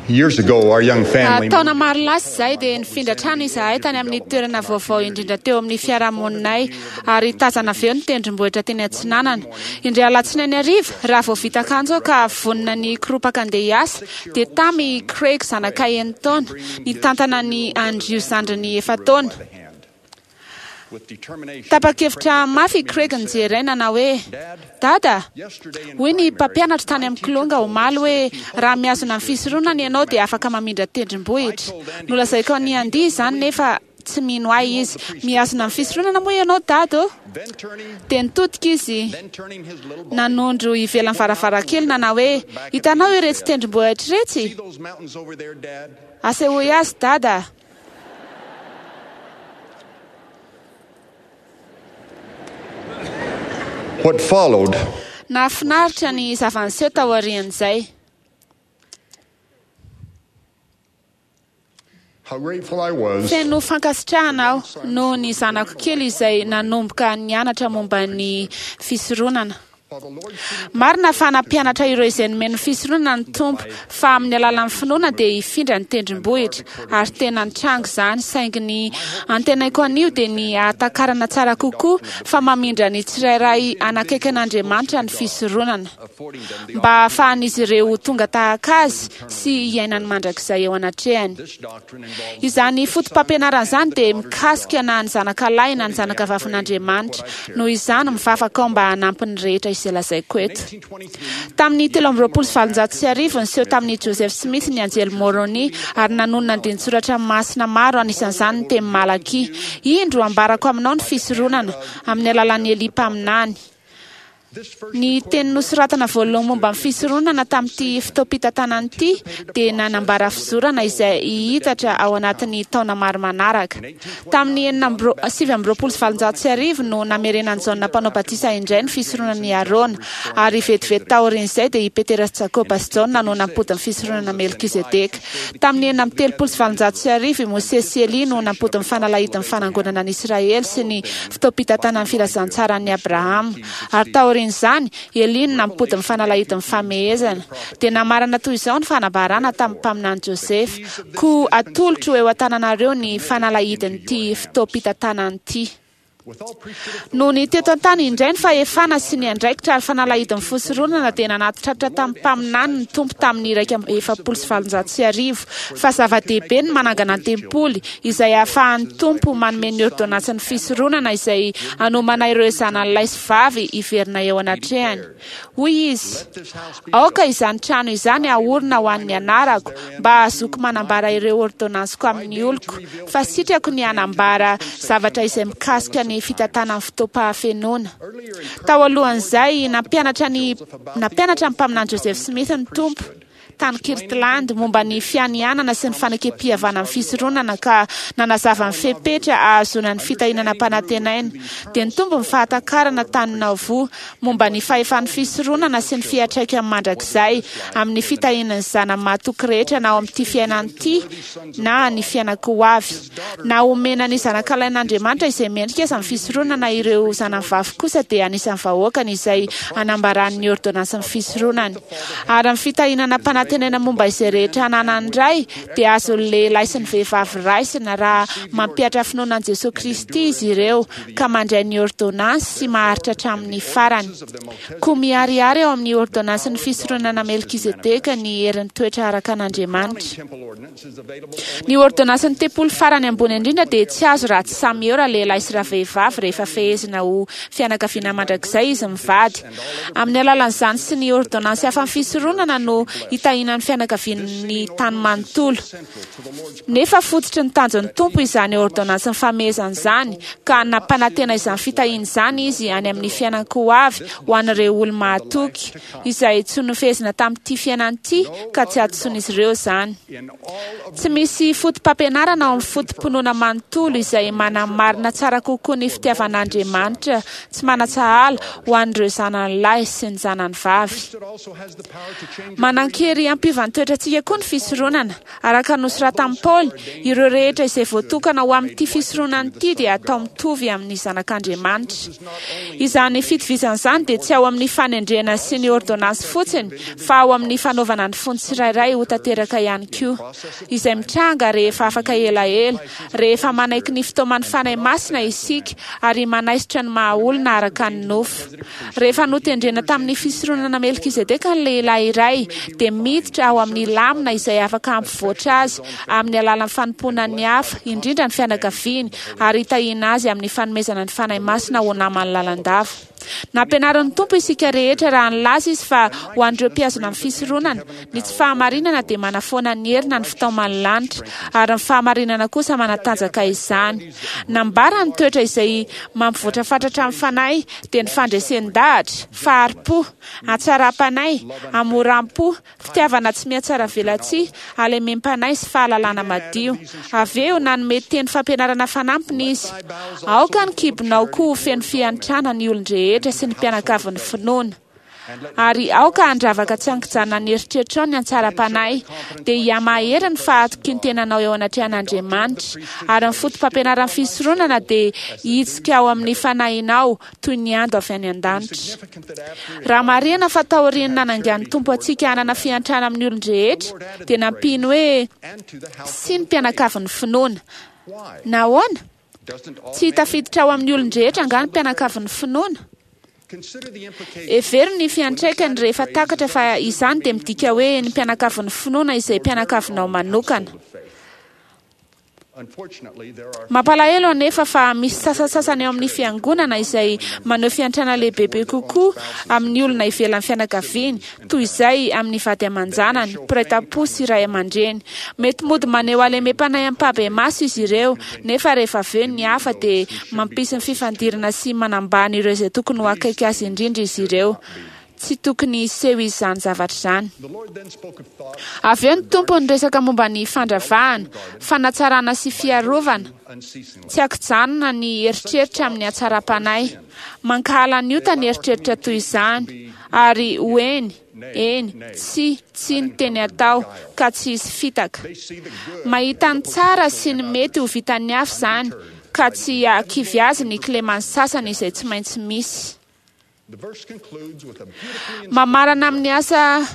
Years ago, our young family Taona maro lasa izay dia nifindra trano izahay tany amin'ny toerana vaovao indrindra teo amin'ny fiarahamoninay ary tazana avy eo ny tendrombohitra teny atsinanana. Indray alatsinainy hariva, raha vao vita akanjo aho ka vonona ny hikoropaka handeha hiasa, dia tamy i Craig zanakay enin-taona, nitantana an'i Andrew zandriny efa-taona. Tapa-kevitra mafy i Craig nijery ahy nanao hoe, Dada, hoy ny mpampianatro tany amin'ny Kilonga omaly hoe raha mihazona ny fisoronana ianao dia afaka mamindra tendrombohitra. Nolazaiko an'i Andy izany nefa tsy mino ahy izy. Mihazona ny fisoronana moa ianao Dada ô? Dia nitodika izy nanondro ivelan'ny varavarankely nanao hoe, Hitanao iretsy tendrombohitra iretsy? Asehoy azy Dada! What followed. Nahafinaritra ny zava-niseho taorian'izay. How grateful I was Feno fankasitrahana aho noho ny zanako kely izay nanomboka nianatra momba ny fisoronana. Marina fa nampianatra ireo izay nomeny ny fisoronana ny Tompo fa amin'ny alalan'ny finoana dia hifindra ny tendrombohitra, ary tena nitranga izany, saingy ny antenaiko anio dia ny hahatakarana tsara kokoa fa mamindra ny tsirairay hanakaiky an'Andriamanitra ny fisoronana, mba hahafahan'izy ireo ho tonga tahaka Azy sy hiaina ny mandrakizay eo anatrehany. Izany fotopampianarana izany dia mikasika na ny zanakalahy na ny zanakavavin'Andriamanitra. Noho izany, mivavaka aho mba hanampy ny rehetra izay lazaiko eto. Tamin'ny 1823, niseho tamin'i Joseph Smith ny anjely Moroni ary nanonona andinin-tsoratra masina maro, anisan'izany ny teny Malakia, Indro, ambarako aminao ny fisoronana, amin'ny alalan'i Elia mpaminany. Ny teny nosoratana voalohany momba ny fisoronana tamin'ity fotoampitantanana ity dia nanambara fizorana izay hihitatra ao anatin'ny taona maro manaraka. Tamin'ny 1829 no namerenan'i Jaona Mpanao Batisa indray ny fisoronan'i Arona, ary vetivety taorian'izay dia i Petera sy Jakoba sy Jaona no nampody ny fisoronana Melkizedeka. Tamin'ny 1836 i Mosesy sy Elia no nampody ny fanalahidin'ny fanangonana an'i Israely sy ny fotoampitantanan'ny filazantsaran'i Abrahama. Ary taorian'izany, Elia no nampody ny fanalahidin'ny famehezana. Dia namarana toy izao ny fanambarana tamin'ny mpaminany Josefa, Koa atolotro eo an-tananareo ny fanalahidin'ity fotoampitantanana ity. Nony teto an-tany indray ny fahefana sy ny andraikitra ary fanalahidin'ny fisoronana dia nanatitratra tamin'ny mpaminany ny Tompo tamin'ny 1841 fa zava-dehibe ny manangana ny tempoly izay ahafahan'ny Tompo manome ny ôrdônansin'ny fisoronana izay hanomana ireo zanany lahy sy vavy hiverina eo anatrehany. Hoy Izy, Aoka izany trano izany haorina ho an'ny anarako, mba hahazoako manambara ireo ôrdônansiko amin'ny oloko, fa sitrako ny hanambara zavatra izay mikasika ny fitantanan'ny fotoam-pahafenoana. Tao alohan'izay, nampianatra ny nampianatra ny Mpaminany Joseph Smith ny Tompo. tany Kirtland momba ny fianianana sy ny fanekem-pihavanan'ny fisoronana ka nanazava ny fepetra ahazoana ny fitahiana nampanantenaina, dia nitombo ny fahatakarana tany Nauvoo momba ny fahefan'ny fisoronana sy ny fiantraikany mandrakizay amin'ny fitahiana ny zanany mahatoky rehetra na ao amin'ity fiainana ity na ny fiainan-ko avy. Na omena ny zanakalahin'Andriamanitra izay mendrika aza ny fisoronana, ireo zanany vavy kosa dia anisan'ny vahoakany izay anambarany ny ôrdônansin'ny fisoronany. Ary ny fitahiana nampanantenaina momba izay rehetra ananan'ny Ray dia azon'ny lehilahy sy ny vehivavy raisina raha mampihatra finoana an'i Jesoa Kristy izy ireo ka mandray ny ôrdônansy sy maharitra hatramin'ny farany. Koa miharihary ao amin'ny ôrdônansin'ny fisoronana Melkizedeka ny herin'ny toetra araka an'Andriamanitra. Ny ôrdônansin'ny tempoly farany ambony indrindra dia tsy azo raha tsy samy eo ralehilahy sy ravehivavy rehefa fehezina ho fianakaviana mandrakizay izy mivady. Amin'ny alalan'izany sy ny ôrdônansy hafa amin'ny fisoronana no hitahiana ny fianakavian'ny tany manontolo. Nefa fototry ny tanjon'ny Tompo izany ôrdônansin'ny famehezana izany, ka nampanantena izany fitahiana izany Izy any amin'ny fiainan-ko avy ho an'ireo olo-mahatoky, izay tsy nofehezina tamin'ity fiainana ity ka tsy hadisoan'izy ireo izany. Tsy misy fotopampianarana ao amin'ny foto-pinoana manontolo izay manamarina tsara kokoa ny fitiavan'Andriamanitra tsy manan-tsahala ho an'ireo zanany lahy sy ny zanany vavy. Manan-kery. Manan-kery hampiova ny toetrantsika koa ny fisoronana. Araka ny nosoratan'i Paoly, ireo rehetra izay voatokana ho amin'ity fisoronana ity dia atao mitovy amin'ny zanak'Andriamanitra. Izany fitovizana izany dia tsy ao amin'ny fanendrena sy ny ôrdônansy fotsiny, fa ao amin'ny fanaovana ny fon'ny tsirairay ho tanteraka ihany koa, izay mitranga rehefa afaka elaela, rehefa manaiky ny fitaoman'ny Fanahy Masina isika ary manaisotra ny maha-olona araka ny nofo. Rehefa notendrena tamin'ny fisoronana Melkizedeka ny lehilahy iray, dia miditra ao amin'ny lamina izay afaka hampivoatra azy amin'ny alalan'ny fanompoana ny hafa, indrindra ny fianakaviany, ary hitahiana azy amin'ny fanomezana ny Fanahy Masina ho namany lalandava. Nampianarin'ny Tompo isika rehetra raha nilaza Izy fa ho an'ireo mpihazona ny fisoronana, ny tsy fahamarinana dia manafoana ny hery na ny fitaoman'ny lanitra, ary ny fahamarinana kosa manatanjaka izany. Nambara ny toetra izay mampivoatra fatratra ny fanahy dia ny fandresen-dahatra, fahari-po, hatsaram-panahy, hamoram-po, fitiavana tsy mihatsaravelatsihy, halemem-panahy sy fahalalana madio. Avy eo, nanome teny fampianarana fanampiny izy, Aoka ny kibonao koa ho feno fiantrana ny olon-drehetra sy ny mpianakavin'ny finoana. Ary aoka handravaka tsy an-kijanona ny eritreritrao ny hatsaram-panahy, dia hihamahery ny fahatokian-tenanao eo anatrehan'Andriamanitra, ary ny fotopampianaran'ny fisoronana dia hitsika ao amin'ny fanahinao toy ny ando avy any an-danitra. Raha marihina fa taorian'ny nanangan'ny Tompo antsika hanana fiantrana amin'ny olon-drehetra, dia nampiany hoe sy ny mpianakavin'ny finoana. Nahoana? Tsy tafiditra ao amin'ny olon-drehetra angaha ny mpianakavin'ny finoana? Hevero ny fiantraikany rehefa takatra fa izany dia midika hoe ny mpianakavin'ny finoana izay mpianakavinao manokana. Mampalahelo anefa fa misy sasantsasany ao amin'ny fiangonana izay maneho fiantrana lehibebe kokoa amin'ny olona ivelan'ny fianakaviany toy izay amin'ny vady aman-janany, mpiray tam-po sy ray aman-dreny. Mety mody maneho halemem-panahy ampahibemaso izy ireo, nefa rehefa avy eo ny hafa dia mampisy ny fifandirana sy manambany ireo izay tokony ho akaiky azy indrindra izy ireo. Tsy tokony hiseho izany zavatra izany. Avy eo ny Tompo niresaka momba ny fandravahana, fanatsarana sy fiarovana, tsy ankijanona ny eritreritra amin'ny hatsaram-panahy. Mankahala ny ota ny eritreritra toy izany, ary ho eny, eny, tsia, tsia ny teny atao, ka tsy hisy fitaka. Mahita ny tsara sy ny mety ho vitan'ny hafa izany, ka tsy hahakivy azy ny kileman'ny sasany izay tsy maintsy misy. Mamarana amin'ny asa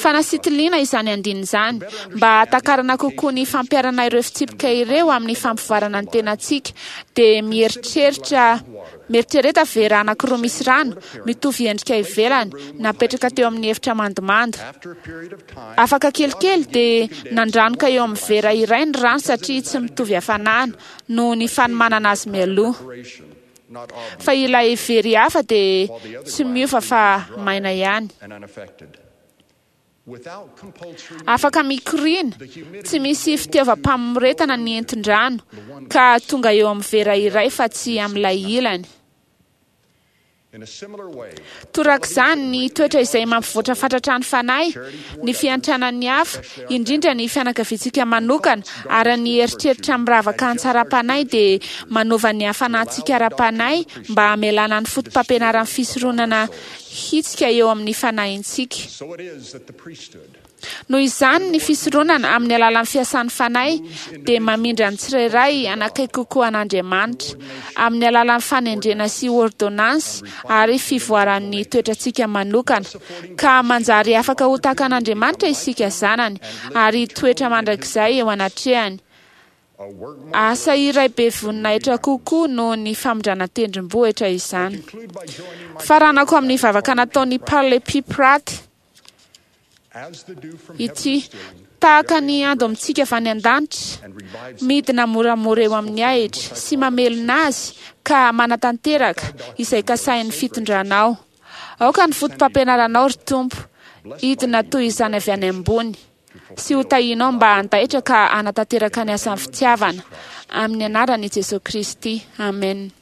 fanasitiliana izany andininy izany, mba hahatakarana kokoa ny fampiharana ireo fitsipika ireo amin'ny fampivoarana ny tenantsika, dia mieritreritra Mieritrereta vera anankiroa misy rano, mitovy endrika ivelany, napetraka teo amin'ny efitra mandomando. Afaka kelikely dia nandranoka eo amin'ny vera iray ny rano satria tsy mitovy hafanana, noho ny fanomanana azy mialoha. Fa ilay very hafa dia tsy miova fa maina ihany. Afaka mikoriana, tsy misy fitiavam-pamoretana ny entin-drano, ka tonga eo amin'ny vera iray fa tsy amin'ilay ilany. Torak'izany, ny toetra izay mampivoatra fatratra ny fanahy, ny fiantrana ny hafa, indrindra ny fianakaviantsika manokana, ary ny eritreritra miravaka an-tsaram-panahy dia manova ny hafanantsika ara-panahy mba hamelana ny fotopampianaran'ny fisoronana hitsika eo amin'ny fanahintsika. Noho izany, ny fisoronana, amin'ny alalan'ny fiasan'ny Fanahy, dia mamindra ny tsirairay hanakaiky kokoa an'Andriamanitra, amin'ny alalan'ny fanendrena sy ôrdônansy ary fivoaran'ny toetrantsika manokana, ka manjary afaka ho tahaka an'Andriamanitra isika zanany, ary hitoetra mandrakizay eo anatrehany. Asa iray be voninahitra kokoa noho ny famindrana tendrombohitra izany. Faranako amin'ny vavaka nataon'i Parley P. Pratt ity, Tahaka ny ando amintsika avy any an-danitra, midina moramora eo amin'ny ahitra sy mamelona azy ka manatanteraka izay kasahin'ny fitondranao. Aoka ny fotopampianaranao, ry Tompo, hidina toy izany avy any ambony. sy ho tahianao mba handaitra ka hanatanteraka ny asan'ny fitiavana. Amin'ny anaran'i Jesoa Kristy. Amen.